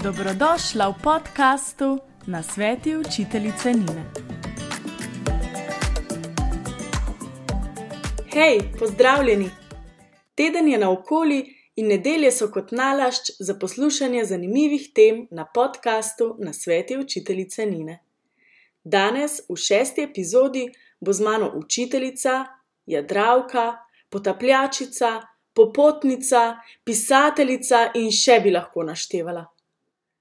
Dobrodošla v podkastu Nasveti učiteljice Nine. Hej, pozdravljeni! Teden je naokoli in nedelje so kot nalašč za poslušanje zanimivih tem na podkastu Nasveti učiteljice Nine. Danes v 6. epizodi bo z mano učiteljica, jadralka, potapljačica, popotnica, pisateljica in še bi lahko naštevala.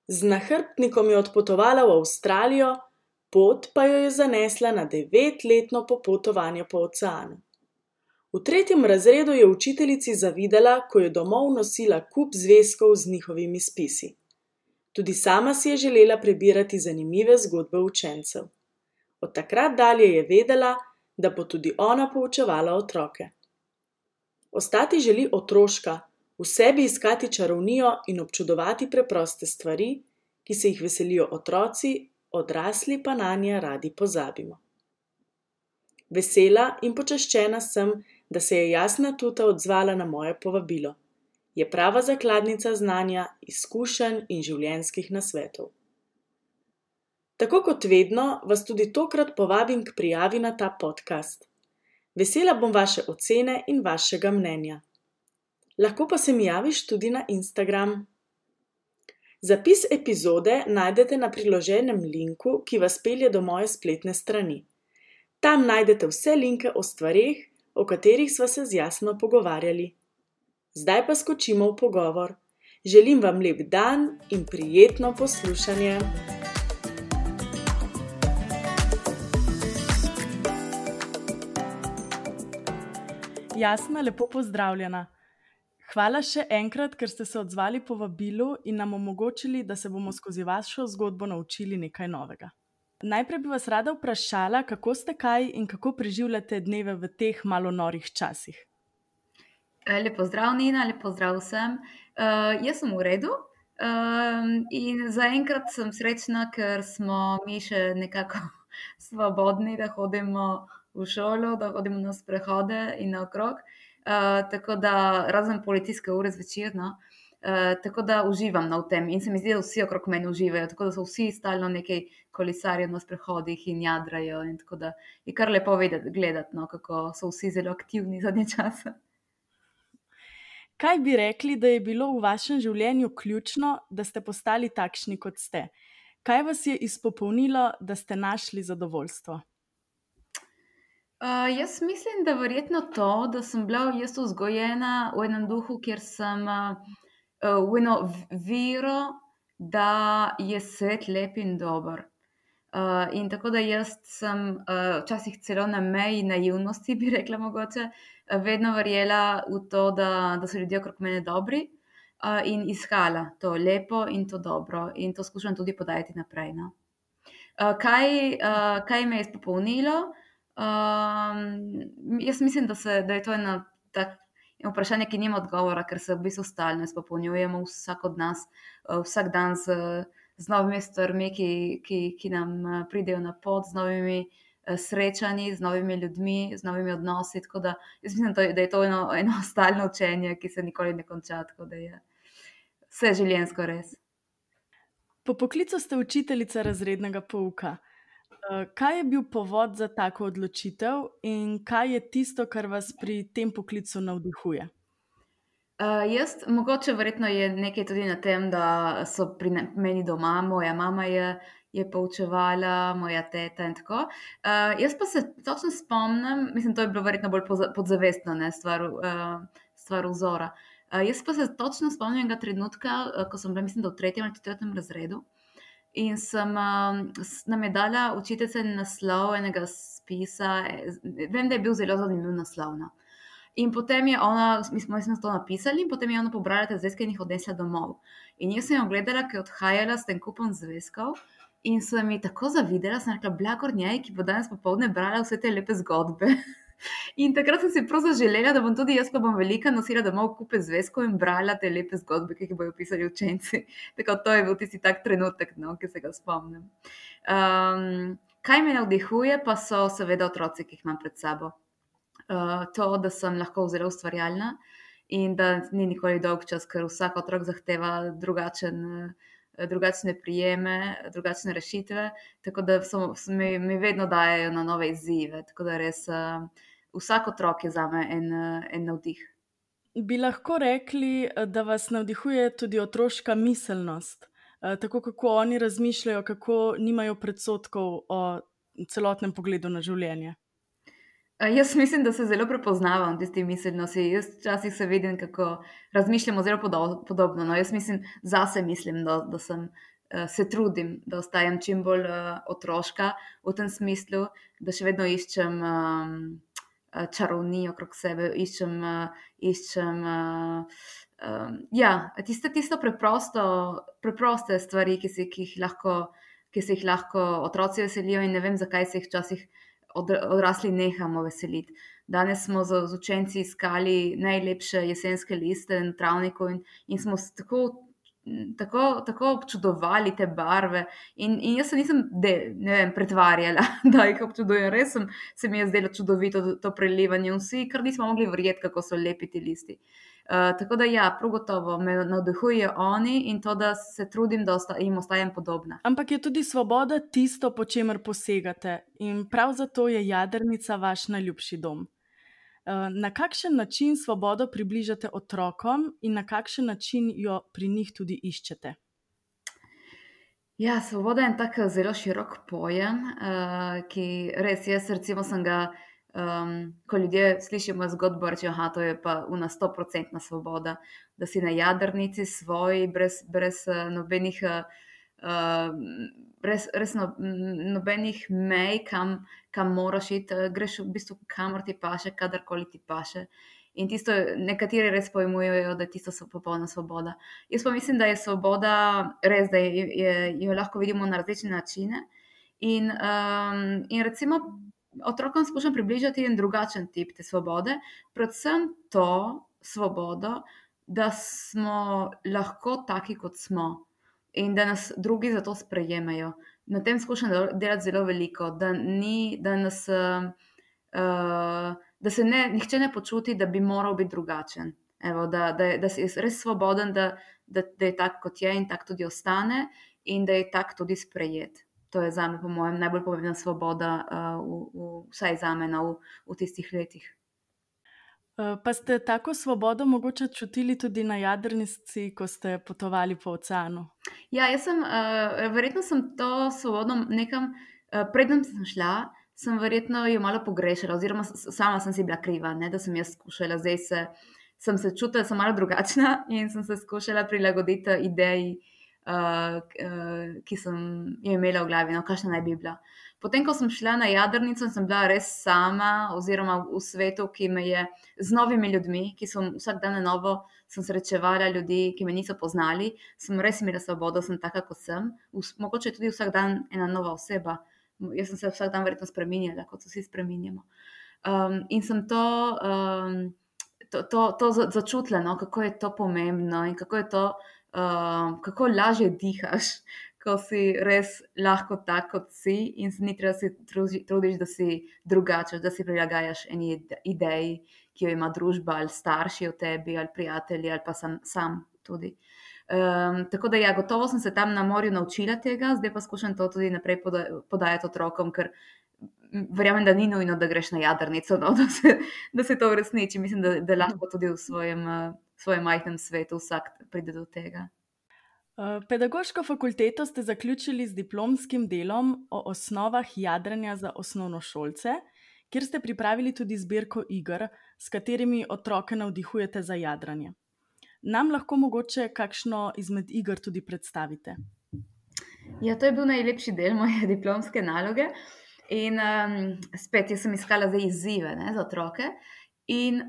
Z nahrbtnikom je odpotovala v Avstralijo, pot pa jo je zanesla na 9-letno popotovanje po oceanu. V 3. razredu je učiteljici zavidala, ko je domov nosila kup zvezkov z njihovimi spisi. Tudi sama si je želela prebirati zanimive zgodbe učencev. Od takrat dalje je vedela, da bo tudi ona poučevala otroke. Ostati želi otroška, v sebi iskati čarovnijo in občudovati preproste stvari, ki se jih veselijo otroci, odrasli pa nanje radi pozabimo. Vesela in počaščena sem, da se je Jasna Tuta odzvala na moje povabilo. Je prava zakladnica znanja, izkušenj in življenjskih nasvetov. Tako kot vedno, vas tudi tokrat povabim k prijavi na ta podcast. Vesela bom vaše ocene in vašega mnenja. Lahko pa se mi javiš tudi na Instagram. Zapis epizode najdete na priloženem linku, ki vas pelje do moje spletne strani. Tam najdete vse linke o stvareh, o katerih sva se z Jasno pogovarjali. Zdaj pa skočimo v pogovor. Želim vam lep dan in prijetno poslušanje. Jasna, lepo pozdravljena. Hvala še enkrat, ker ste se odzvali povabilu in nam omogočili, da se bomo skozi vašo zgodbo naučili nekaj novega. Najprej bi vas rada vprašala, kako ste kaj in kako preživljate dneve v teh malo norih časih. Lep pozdrav, Nina, lep pozdrav vsem. Jaz sem v redu in zaenkrat sem srečna, ker smo mi še nekako svobodni, da hodimo v šolo, da hodimo na sprehode in naokrog. Tako da razen policijske ure zvečer, no. Tako da uživam v tem in se mi zdi, da vsi okrog mene uživajo, tako da so vsi stalno nekaj kolesarijo na sprehodih in jadrajo in tako da je kar lepo gledati, no, kako so vsi zelo aktivni zadnje čase. Kaj bi rekli, da je bilo v vašem življenju ključno, da ste postali takšni, kot ste? Kaj vas je izpopolnilo, da ste našli zadovoljstvo? Jaz mislim, da verjetno to, da sem bila jaz vzgojena v enem duhu, kjer sem v eno vero, da je svet lep in dober. In tako da jaz sem včasih celo na meji naivnosti, bi rekla mogoče, vedno verjela v to, da so ljudje okrog mene dobri in iskala to lepo in to dobro in to skušam tudi podajati naprej, no. Kaj me je izpopolnilo? Jaz mislim, da je to eno vprašanje, ki nima odgovora, ker se v bistvu stalno izpopolnjujemo, vsak od nas, vsak dan z novimi stvarmi, ki nam pridejo na pot, z novimi srečanji, z novimi ljudmi, z novimi odnosi, tako da jaz mislim, da je to eno stalno učenje, ki se nikoli ne konča, tako da je vse življenjsko res. Po poklicu ste učiteljica razrednega pouka. Kaj je bil povod za tako odločitev in kaj je tisto, kar vas pri tem poklicu navdihuje? Mogoče verjetno je nekaj tudi na tem, da so pri meni doma, moja mama je poučevala, moja teta in tako. Jaz pa se točno spomnim, mislim, to je bilo verjetno bolj podzavestno, ne, stvar vzora. Jaz pa se točno spomnim enega trenutka, ko sem bila, mislim, da v 3. ali 4. razredu, in nam je dala učiteljica naslov enega spisa, vem, da je bil zelo zanimiv naslov, no. In potem je ona, mi smo to napisali in potem je ona pobrala te zvezke in jih odnesla domov. In jaz sem jo gledala, ki je odhajala s tem kupom zvezkov in sem ji tako zavidela, sem rekla, blagor njej, ki bo danes popoldne brala vse te lepe zgodbe. In takrat sem si prav zaželela, da bom tudi jaz, ko bom velika, nosila domov kupe zvezkov in brala te lepe zgodbe, ki jih bojo pisali učenci. Tako to je bil tisti tak trenutek, no, ki se ga spomnim. Kaj me navdihuje, pa so seveda otroci, ki jih imam pred sabo. To, da sem lahko zelo ustvarjalna in da ni nikoli dolg čas, ker vsak otrok zahteva drugačen drugačne prijeme, drugačne rešitve, tako da mi vedno dajejo na nove izzive. Tako da res vsak otrok je zame en navdih. Bi lahko rekli, da vas navdihuje tudi otroška miselnost, tako kako oni razmišljajo, kako nimajo predsodkov o celotnem pogledu na življenje? Jaz mislim, da se zelo prepoznavam v tisti miselnosti. Jaz včasih se vidim, kako razmišljamo zelo podobno. No, jaz zase mislim, da se trudim, da ostajam čim bolj otroška v tem smislu, da še vedno iščem čarovnijo okrog sebe, iščem tisto preproste stvari, ki se jih lahko otroci veselijo, in ne vem, zakaj se jih včasih odrasli nehamo veseliti. Danes smo z učenci iskali najlepše jesenske liste na travniku in smo tako občudovali te barve. In jaz se nisem pretvarjala, da jih občudujem. Res se mi je zdelo čudovito to prelivanje. Vsi kar nismo mogli verjeti, kako so lepi ti listi. Tako da prav gotovo me navdihujejo oni in to, da se trudim, da jim ostajam podobna. Ampak je tudi svoboda tisto, po čemer posegate, in prav zato je Jadrnica vaš najljubši dom. Na kakšen način svobodo približate otrokom in na kakšen način jo pri njih tudi iščete? Ja, svoboda je en tak zelo širok pojem, ki res jaz recimo sem ga, ko ljudje slišijo mojo zgodbo, rečejo, aha, to je pa 100% svoboda, da si na Jadrnici svoji, brez nobenih nobenih mej, kam moraš iti, greš v bistvu kamor ti paše, kadarkoli ti paše. In tisto nekateri res pojmujejo, da je tisto popolna svoboda. Jaz pa mislim, da je svoboda res, da jo lahko vidimo na različne načine. In recimo otrokom skušam približati en drugačen tip te svobode, predvsem to svobodo, da smo lahko taki, kot smo, in da nas drugi za to sprejemajo. Na tem skušam delati zelo veliko, da se nihče ne počuti, da bi moral biti drugačen. Evo, da si res svoboden, da je tak, kot je, in tak tudi ostane, in da je tak tudi sprejet. To je zame, po mojem, najbolj pomembna svoboda, vsaj zame v tistih letih. Pa ste tako svobodo mogoče čutili tudi na Jadrnici, ko ste potovali po oceanu? Ja, verjetno sem to svobodo nekam, preden sem šla, sem verjetno jo malo pogrešala, oziroma sama sem si bila kriva, ne, da sem jaz skušala. Sem se čutila, da sem malo drugačna in sem se skušala prilagoditi ideji, ki sem jo imela v glavi, no, kakšna naj bi bila. Potem, ko sem šla na Jadrnico, sem bila res sama, oziroma v svetu, ki me je z novimi ljudmi, ki sem vsak dan na novo srečevala ljudi, ki me niso poznali, sem res imela svobodo, sem taka, kot sem. Mogoče tudi vsak dan ena nova oseba. Jaz sem se vsak dan verjetno spreminjala, kot se vsi spreminjamo. In sem to začutila, no, kako je to pomembno in kako je to, kako lažje dihaš, ko si res lahko tak, kot si, in se ni treba si trudiš, da si drugačen, da si prilagajaš eni ideji, ki jo ima družba, ali starši o tebi, ali prijatelji, ali pa sam tudi. Tako da gotovo sem se tam na morju naučila tega, zdaj pa skušam to tudi naprej podajati otrokom, ker verjamem, da ni nujno, da greš na Jadrnico, no, da se to uresniči. Mislim, da lahko tudi v svojem majhnem svetu vsak pride do tega. Pedagoško fakulteto ste zaključili z diplomskim delom o osnovah jadranja za osnovnošolce, kjer ste pripravili tudi zbirko iger, s katerimi otroke navdihujete za jadranje. Nam lahko mogoče kakšno izmed iger tudi predstavite? Ja, to je bil najlepši del moje diplomske naloge. In spet, jaz sem iskala zdaj izzive, ne, za otroke. In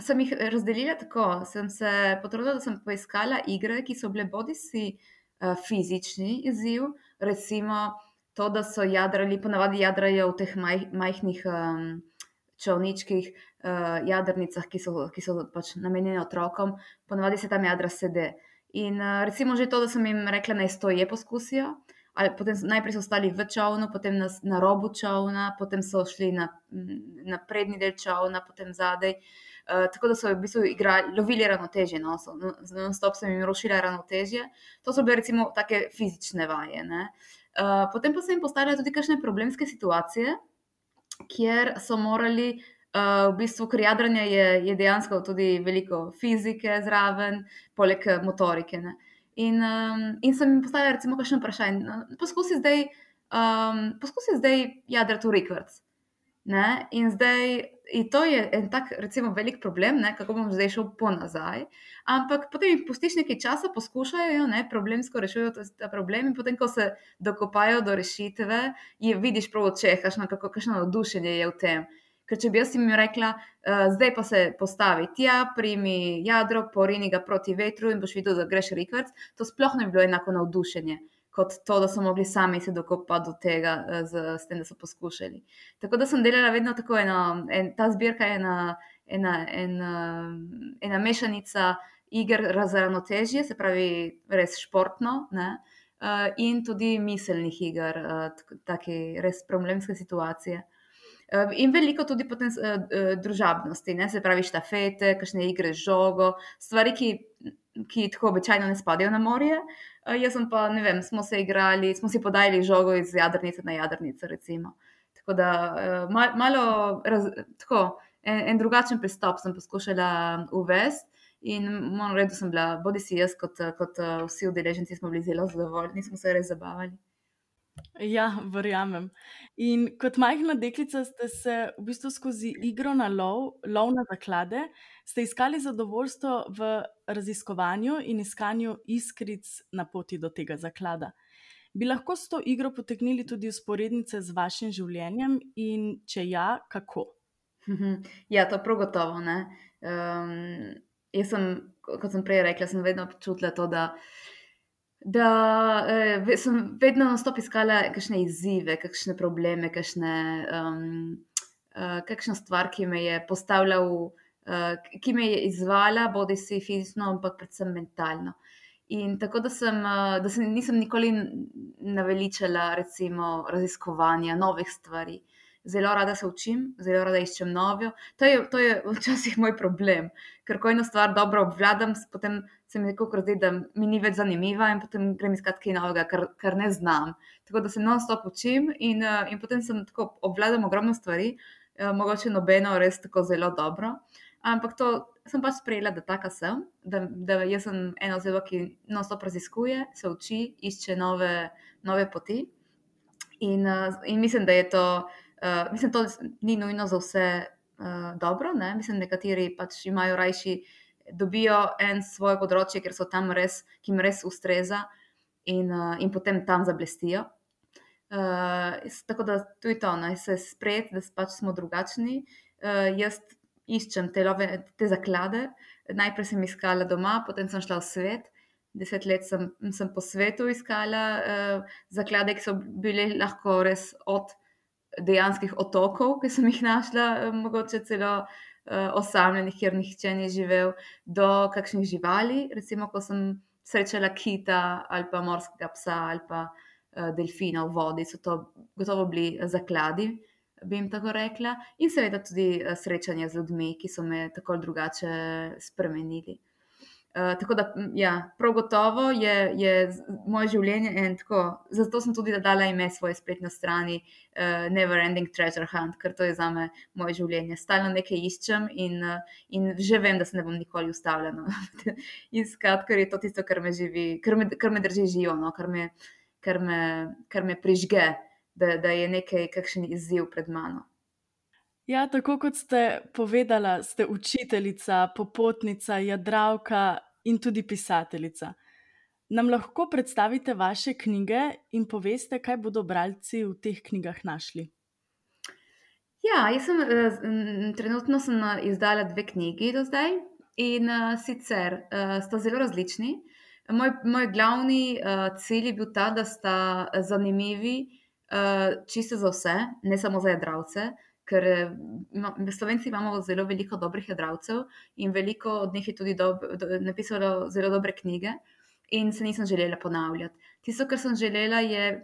sem jih razdelila tako, sem se potrudila, da sem poiskala igre, ki so bile bodisi fizični izziv, recimo to, da so jadrali, ponavadi jadrajo v teh majhnih čolničkih, jadrnicah, ki so pač namenjene otrokom, ponavadi se tam jadra sede. In recimo že to, da sem jim rekla, naj stoje poskusijo, ali potem najprej so stali v čolnu, potem na robu čolna, potem so šli na prednji del čolna, potem zadaj. tako da so v bistvu lovili ravnotežje, no, non-stop sem jim rušila ravnotežje. To so bile recimo take fizične vaje. Ne. Potem pa sem jim postavila tudi kakšne problemske situacije, kjer so morali, v bistvu, ker jadranje je dejansko tudi veliko fizike zraven, poleg motorike. Ne. In sem jim postavila recimo kakšno vprašanje. No, poskusi zdaj jadrati v rikverc. Ne? In zdaj, in to je en tak, recimo, velik problem, ne? Kako bom zdaj šel po nazaj. Ampak potem jih pustiš nekaj časa, poskušajo, ne? Problemsko rešujejo ta problem, in potem, ko se dokopajo do rešitve, vidiš prav v očeh, kakšno navdušenje je v tem. Ker če bi jaz jim rekla, zdaj pa se postavi tja, primi jadro, porini ga proti vetru in boš videl, da greš rikverc, to sploh ne bi bilo enako navdušenje kot to, da so mogli sami se dokopati do tega, s tem, da so poskušali. Tako da sem delala vedno tako ta zbirka je ena mešanica iger za ravnotežje, se pravi res športno, ne, in tudi miselnih iger, take res problemske situacije. In veliko tudi potem družabnosti, ne, se pravi štafete, kakšne igre z žogo, stvari, ki tako običajno ne spadajo na morje. Jaz sem pa, ne vem, smo si podajali žogo iz jadrnice na jadrnico, recimo. Tako da malo tako, en drugačen pristop sem poskušala uvesti in moram reči, da sem bila, bodisi jaz kot vsi udeleženci smo bili zelo zadovoljni, smo se res zabavali. Ja, verjamem. In kot majhna deklica ste se v bistvu skozi igro na lov na zaklade, ste iskali zadovoljstvo v raziskovanju in iskanju iskric na poti do tega zaklada. Bi lahko s to igro potegnili tudi vzporednice z vašim življenjem in če ja, kako? Ja, to prav gotovo, ne. Jaz sem, kot sem prej rekla, sem vedno čutila to, da sem vedno non-stop iskala kakšne izzive, kakšne probleme, kakšna stvar, ki me je postavila ki me je izvala, bodisi fizično, ampak predvsem mentalno. In tako, da se nisem nikoli naveličala recimo raziskovanja novih stvari. Zelo rada se učim, zelo rada iščem novo. To je včasih moj problem, ker ko eno stvar dobro obvladam, potem se mi nekako zdi, da mi ni več zanimiva in potem grem iskat kaj novega, kar ne znam. Tako da se non-stop učim in potem tako obvladam ogromno stvari, mogoče nobeno res tako zelo dobro. Ampak to sem pač sprejela, da taka sem, da jaz sem ena oseba, ki non-stop raziskuje, se uči, išče nove poti. In mislim, da je to, mislim, to ni nujno za vse dobro, ne? Mislim, nekateri pač imajo rajši, dobijo svoje področje, ker so tam res, ki jim res ustreza in potem tam zablestijo. Tako da tudi to, ne, se sprejeti, da pač smo drugačni. Jaz iščem te zaklade. Najprej sem iskala doma, potem sem šla v svet. 10 let sem po svetu iskala zaklade, ki so bile lahko res od dejanskih otokov, ki sem jih našla, mogoče celo osamljenih, kjer nihče ni živel, do kakšnih živali. Recimo, ko sem srečala kita ali pa morskega psa ali pa delfina v vodi, so to gotovo bili zakladi, bi jim tako rekla. In seveda tudi srečanja z ljudmi, ki so me tako ali drugače spremenili. Tako da, ja, prav gotovo je moje življenje tako, zato sem tudi dala ime svoji spletni strani Never Ending Treasure Hunt, ker to je zame moje življenje. Stalno nekaj iščem in že vem, da se ne bom nikoli ustavljala iskat, ker je to tisto, kar me drži živo, no, kar me prižge, da je kakšen izziv pred mano. Ja, tako kot ste povedala, ste učiteljica, popotnica, jadralka in tudi pisateljica. Nam lahko predstavite vaše knjige in poveste, kaj bodo bralci v teh knjigah našli? Ja, jaz trenutno sem izdala 2 knjigi do zdaj in sicer sta zelo različni. Moj glavni cilj je bil ta, da sta zanimivi čisto za vse, ne samo za jadralce, ker Slovenci imamo zelo veliko dobrih jadralcev in veliko od njih je tudi napisalo zelo dobre knjige in se nisem želela ponavljati. Tisto, kar sem želela, je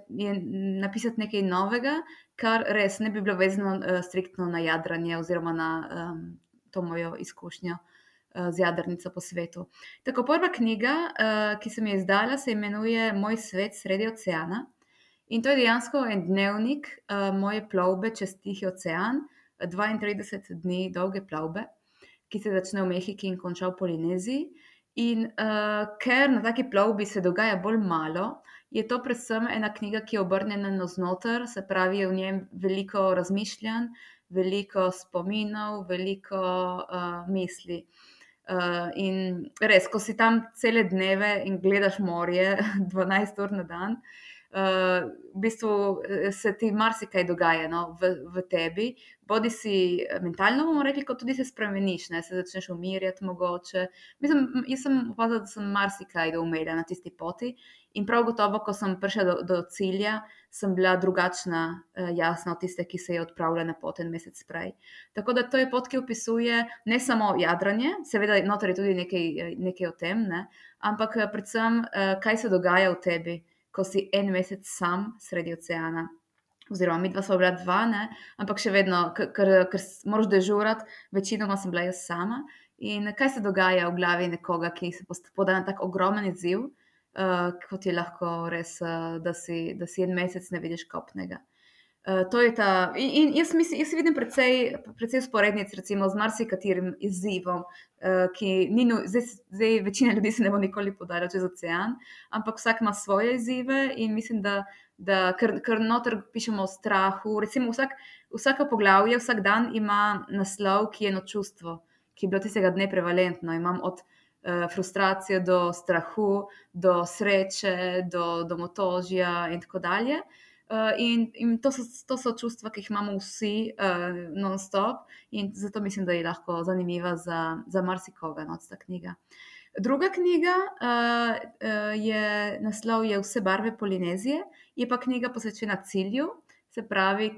napisati nekaj novega, kar res ne bi bilo vezano striktno na jadranje oziroma na to mojo izkušnjo z jadrnico po svetu. Tako prva knjiga, ki sem jo izdala, se imenuje Moj svet sredi oceana. In to je dejansko en dnevnik moje plovbe čez Tihi ocean, 32 dni dolge plovbe, ki se začne v Mehiki in konča v Polineziji. In ker na taki plovbi se dogaja bolj malo, je to predvsem ena knjiga, ki je obrnjena navznoter, se pravi, je v njem veliko razmišljanj, veliko spominov, veliko misli. In res, ko si tam cele dneve in gledaš morje 12 ur na dan, v bistvu se ti marsikaj dogaja, no, v tebi. Bodi si mentalno, bomo rekli, kot tudi se spremeniš, ne, se začneš umirjati mogoče. Mislim, jaz sem opazila, da sem marsikaj doumela na tisti poti in prav gotovo, ko sem prišla do cilja, sem bila drugačna, jasna od tiste, ki se je odpravila na pot en mesec prej. Tako da to je pot, ki opisuje ne samo jadranje, seveda noter je tudi nekaj o tem, ne, ampak predvsem, kaj se dogaja v tebi, ko si en mesec sam sredi oceana. Oziroma, midva sva bila dva, ne? Ampak še vedno, ker moraš dežurati, večinoma sem bila jaz sama. In kaj se dogaja v glavi nekoga, ki se poda na tak ogromen izziv, kot je lahko res, da si en mesec ne vidiš kopnega. To je ta, in jaz vidim precej sporednic recimo z marsikaterim izzivom, ki ni, zdaj večina ljudi se ne bo nikoli podala čez ocean, ampak vsak ima svoje izzive in mislim, da ker noter pišemo o strahu, recimo vsako poglavje, vsak dan ima naslov, ki je eno čustvo, ki je bilo tistega dne prevalentno. Imam od frustracije do strahu, do sreče, do domotožja in tako dalje. In to so čustva, ki jih imamo vsi non-stop in zato mislim, da je lahko zanimiva za marsikoga, no, ta knjiga. Druga knjiga naslov je Vse barve Polinezije, je pa knjiga posvečena cilju, se pravi,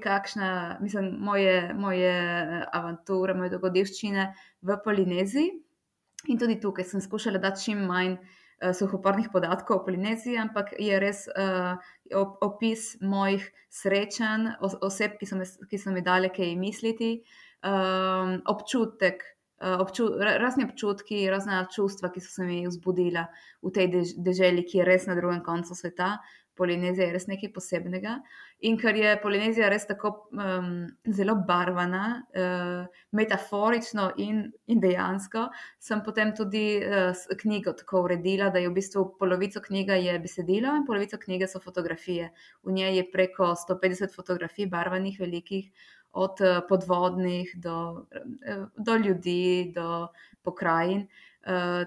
moje avanture, moje dogodivščine v Polineziji. In tudi tukaj sem skušala dati čim manj suhoparnih podatkov o Polineziji, ampak je res opis mojih srečanj, oseb, ki so mi dale kaj misliti, občutek, razni občutki, razna čustva, ki so se mi vzbudila v tej deželi, ki je res na drugem koncu sveta. Polinezija je res nekaj posebnega. In ker je Polinezija res tako zelo barvana, metaforično in dejansko, sem potem tudi knjigo tako uredila, da je v bistvu polovico knjiga je besedilo in polovico knjige so fotografije. V njej je preko 150 fotografij barvanih, velikih, od podvodnih do ljudi, do pokrajin.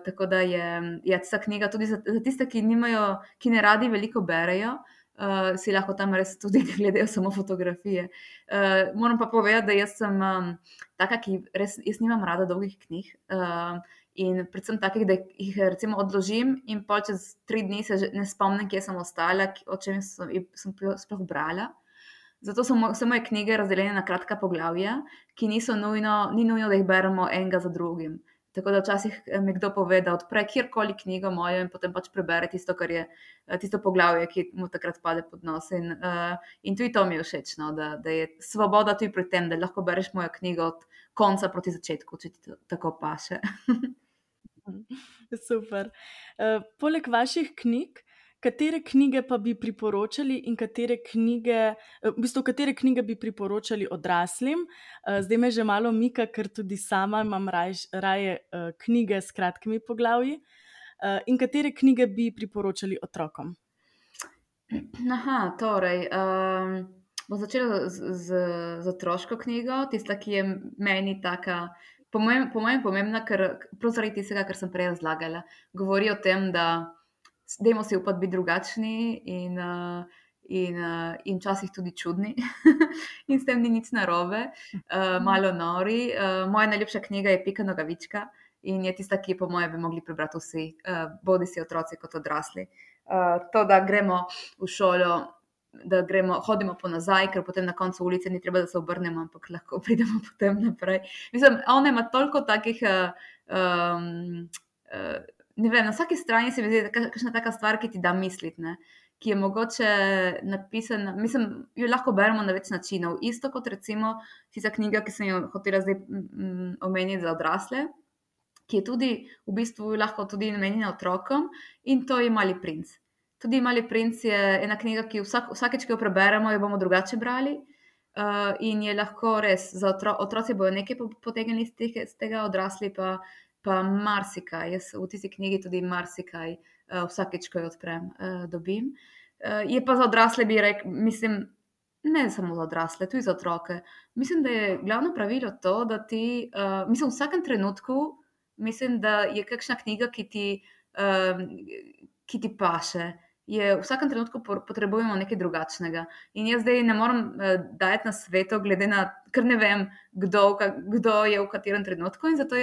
Tako da je ta knjiga tudi za tiste, ki ne radi veliko berejo, si lahko tam res tudi gledajo samo fotografije. Moram pa povedati, da jaz sem taka, ki res, jaz nimam rada dolgih knjig in predvsem takih, da jih recimo odložim in pol čez 3 dni se ne spomnim, kje sem ostala, o čem sem sploh brala. Zato so vse moje knjige razdeljene na kratka poglavja, ki ni nujno, da jih beremo enega za drugim. Tako da včasih mi kdo pove, da odpre kjerkoli knjigo mojo in potem pač prebere tisto, kar je tisto poglavje, ki mu takrat pade pod nos. In tudi to mi je všeč, no, da je svoboda tudi pri tem, da lahko bereš mojo knjigo od konca proti začetku, če ti tako paše. Super. Poleg vaših knjig, katere knjige pa bi priporočali in katere knjige bi priporočali odraslim? Zdaj me že malo mika, ker tudi sama imam raje knjige s kratkimi poglavji. In katere knjige bi priporočali otrokom? Torej, bom začela z otroško knjigo, tista, ki je meni taka, po mojem pomembna, prav zaradi tistega, kar sem prej razlagala. Govori o tem, da dajmo si upati biti drugačni in včasih tudi čudni in s tem ni nič narobe, malo nori. Moja najljubša knjiga je Pika Nogavička in je tista, ki po mojem bi mogli prebrati vsi, bodi si otroci kot odrasli. To, da gremo v šolo, da hodimo po nazaj, ker potem na koncu ulice ni treba, da se obrnemo, ampak lahko pridemo potem naprej. Mislim, ona ima toliko takih ne vem, na vsaki strani se mi zdi kakšna taka stvar, ki ti da misliti, ne? ki je mogoče napisana, mislim, jo lahko beremo na več načinov. Isto kot recimo tista knjiga, ki sem jo hotela zdaj omeniti za odrasle, ki je tudi v bistvu lahko tudi namenjena otrokom, in to je Mali princ. Tudi Mali princ je ena knjiga, ki vsakeč, ki jo preberemo, jo bomo drugače brali. In je lahko res, za otroci bojo nekaj potegnili iz tega, odrasli pa marsikaj. Jaz v tisti knjigi tudi marsikaj vsakeč, ko jo odprem, dobim. Je pa za odrasle, bi rekel, mislim, ne samo za odrasle, tudi za otroke. Mislim, da je glavno pravilo to, da ti, mislim, v vsakem trenutku, mislim, da je kakšna knjiga, ki ti paše. V vsakem trenutku potrebujemo nekaj drugačnega. In jaz zdaj ne morem dajati na svetu, glede na, ker ne vem, kdo je v katerem trenutku. In zato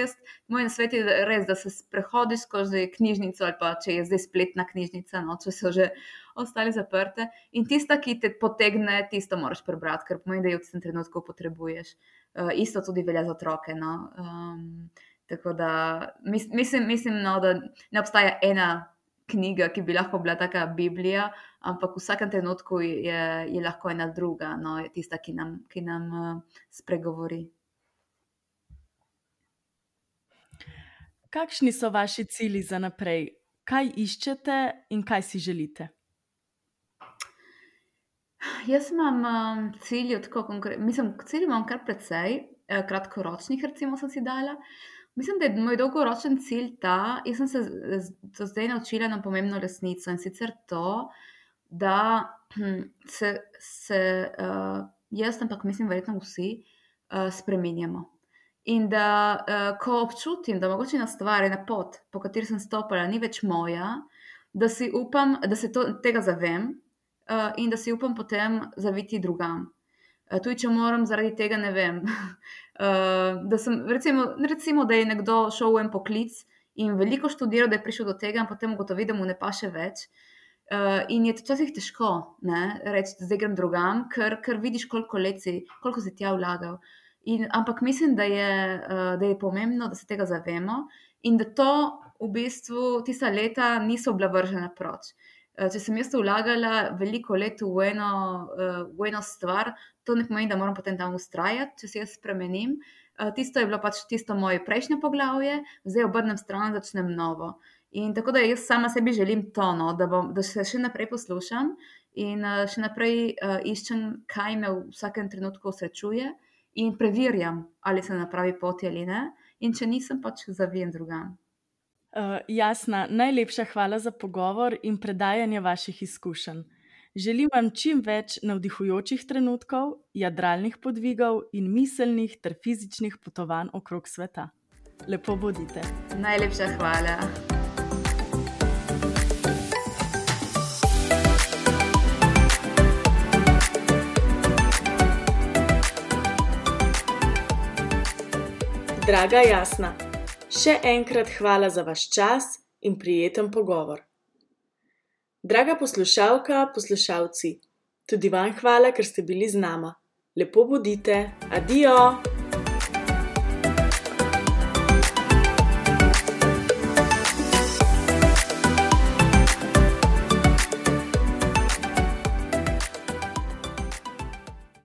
moj nasvet je res, da se sprehodiš skozi knjižnico, ali pa če je zdaj spletna knjižnica, no, če so že ostale zaprte. In tista, ki te potegne, tisto moraš prebrati, ker pomeni, da jo v tistem trenutku potrebuješ. Isto tudi velja za otroke. No. Tako da mislim, no, da ne obstaja ena knjiga, ki bi lahko bila taka Biblija, ampak v vsakem trenutku je lahko ena druga, no, je tista, ki nam spregovori. Kakšni so vaši cilji za naprej? Kaj iščete in kaj si želite? Jaz imam cilje tako konkretno, mislim, cilje imam kar precej, kratkoročnih recimo sem si dala. Mislim, da je moj dolgoročen cilj ta, jaz sem se do zdaj naučila eno pomembno resnico, in sicer to, da se jaz, ampak mislim verjetno vsi, spreminjamo. In da ko občutim, da mogoče ena stvar, ena pot, po kateri sem stopala, ni več moja, da si upam, da se tega zavem, in da si upam potem zaviti drugam. Tudi če moram zaradi tega, ne vem, da sem, recimo, da je nekdo šel v en poklic in veliko študiral, da je prišel do tega, in potem ugotovi, da mu ne paše več. In je včasih težko reči, da zdaj grem drugam, ker vidiš, koliko si tja vlagal. Ampak mislim, da je pomembno, da se tega zavemo in da to v bistvu tista leta niso bila vržena proč. Če sem jaz vlagala veliko let v eno stvar, to ne pomeni, da moram potem tam vztrajati, če se jaz spremenim. Tisto je bilo pač tisto moje prejšnje poglavje, zdaj obrnem stran, začnem novo. In tako da jaz sama sebi želim to, no, da se še naprej poslušam in še naprej iščem, kaj me v vsakem trenutku osrečuje, in preverjam, ali sem na pravi poti ali ne. In če nisem, pač zavijem drugam. Jasna, najlepša hvala za pogovor in predajanje vaših izkušenj. Želim vam čim več navdihujočih trenutkov, jadralnih podvigov in miselnih ter fizičnih potovanj okrog sveta. Lepo bodite. Najlepša hvala. Draga Jasna, še enkrat hvala za vaš čas in prijeten pogovor. Draga poslušalka, poslušalci, tudi vam hvala, ker ste bili z nama. Lepo bodite. Adijo!